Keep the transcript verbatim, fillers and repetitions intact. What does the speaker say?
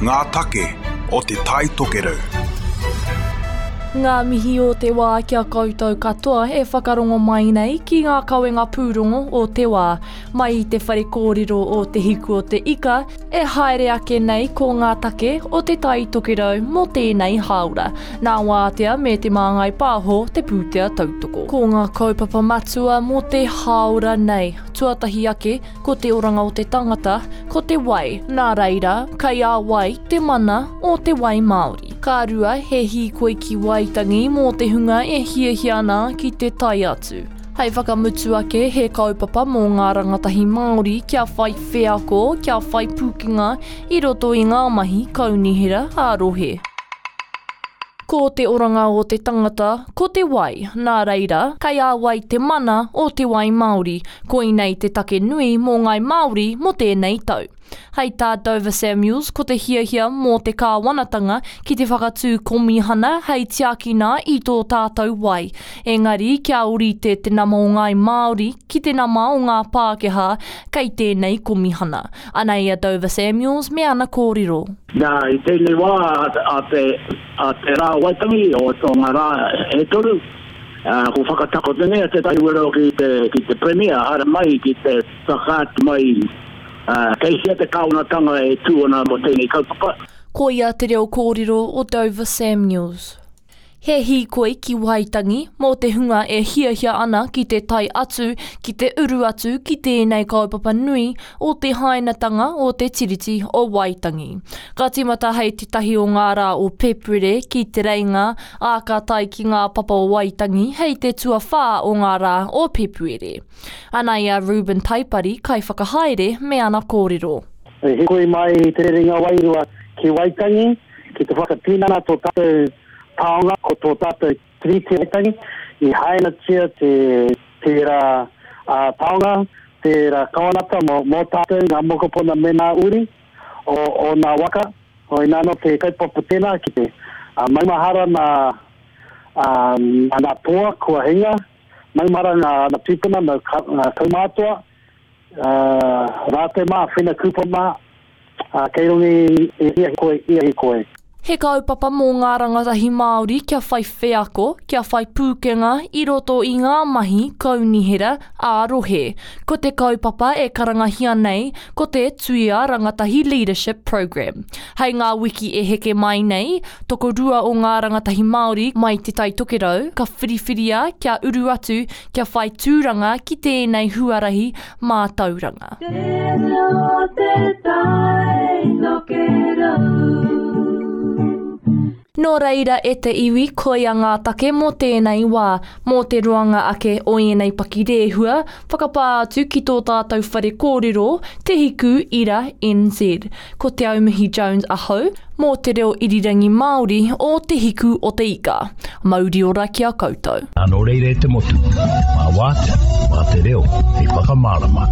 Ngā take o Te Tai Tokerau. Ngā mihi o te wā ki a koutou katoa e whakarongo mai nei ki ngā kawenga pūrongo o te wā. Mai i te whare kōrero o Te Hiku o te Ika, e haere ake nei ko ngā take o Te Tai Tokerau mō tēnei hāora. Nā Wātea me Te Māngai Pāho te pūtea tautoko. Ko ngā kaupapa matua mō te hāora nei. Tuatahi ake, ko te oranga o te tangata, ko te wai. Nā reira, kei a wai te mana o te wai Māori. Ka rua, he hīkoi ki Waitangi mō te hunga e hiahia ana ki te tae atu. Hei whakamutu ake, he kaupapa mō ngā rangatahi Māori kia whai wheako, kia whai pūkenga i roto i ngā mahi kaunihera ā-rohe. Ko te oranga o te tangata, ko te wai. Nā reira, kei a wai te mana o te wai Māori. Koinei te take nui mō ngāi Māori mō tēnei tau. Hei tā Dover Samuels, ko te hiahia mō te kāwanatanga ki te whakatū komihana hei tiakina i tō tātou wai. Engari, kia ōrite te nama o ngāi Māori ki te nama o ngā Pākehā kei tēnei komihana. Anei a Dover Samuels me ana kōrero. Nā, i tēnei wā a te, a te rā o Waitangi, o, o ngā rā e toru, uh, ko whakatakoto nei a Te Tai Tokerau ki te, ki te Premier, haere mai ki te whakaatu mai uh, kei hea te kāwanatanga e tū ana mō tēnei kaupapa. Koia te reo kōrero o Dover Samuels. He hīkoi ki Waitangi mō te hunga e hiahia ana ki te tae atu, ki te uru atu ki tēnei kaupapa nui o te hainatanga o te Tiriti o Waitangi. Ka tīmata hei te tahi o ngā rā o Pēpuere ki Te Reinga, ā ka tae ki ngā papa o Waitangi hei te tuawhā o ngā rā o Pēpuere. Anei a Reuben Taipari, kaiwhakahaere me ana kōrero. E hīkoi mai Te Rerenga Wairua ki Waitangi, ki te whakatinana tō tātou taonga, ko tō tātou Tiriti o Waitangi, i hainatia te tērā uh, taonga, tērā kawanata mō, mō tātou, ngā mokopuna me ngā uri o, o ngā waka. O inā nō te kaupapa tēnā ki te uh, maumahara nā, uh, nā toa kua hinga, maumahara ngā, ngā tūpuna, ngā, ngā kaumātua, uh, rātou mā, Whina Cooper mā, uh, kei runga i, i ia hīkoi, ia hīkoi. He kaupapa mō ngā rangatahi Māori kia whai wheako, kia whai pūkenga i roto i ngā mahi kaunihera ā-rohe. Ko te kaupapa e karangahia nei, ko te Tuia Rangatahi Leadership Program. Hei ngā wiki e heke mai nei, tokorua o ngā rangatahi Māori mai Te Tai Tokerau, ka whiriwhiria kia uru atu, kia whai tūranga ki tēnei huarahi mātauranga. Te reo te tai tokerau. Nō reira e te iwi, koia ngā take mō tēnei wā, mō te roanga ake o ēnei pakirehua, whakapā atu ki tō tātou whare kōrero, Te Hiku Ira N Z. Ko Te Aumihi Jones ahau, mō te reo irirangi Māori o Te Hiku o te Ika. Mauri ora ki a koutou. Nā, nō reira e te motu, mā Wātea, mā te reo, hei whakamārama.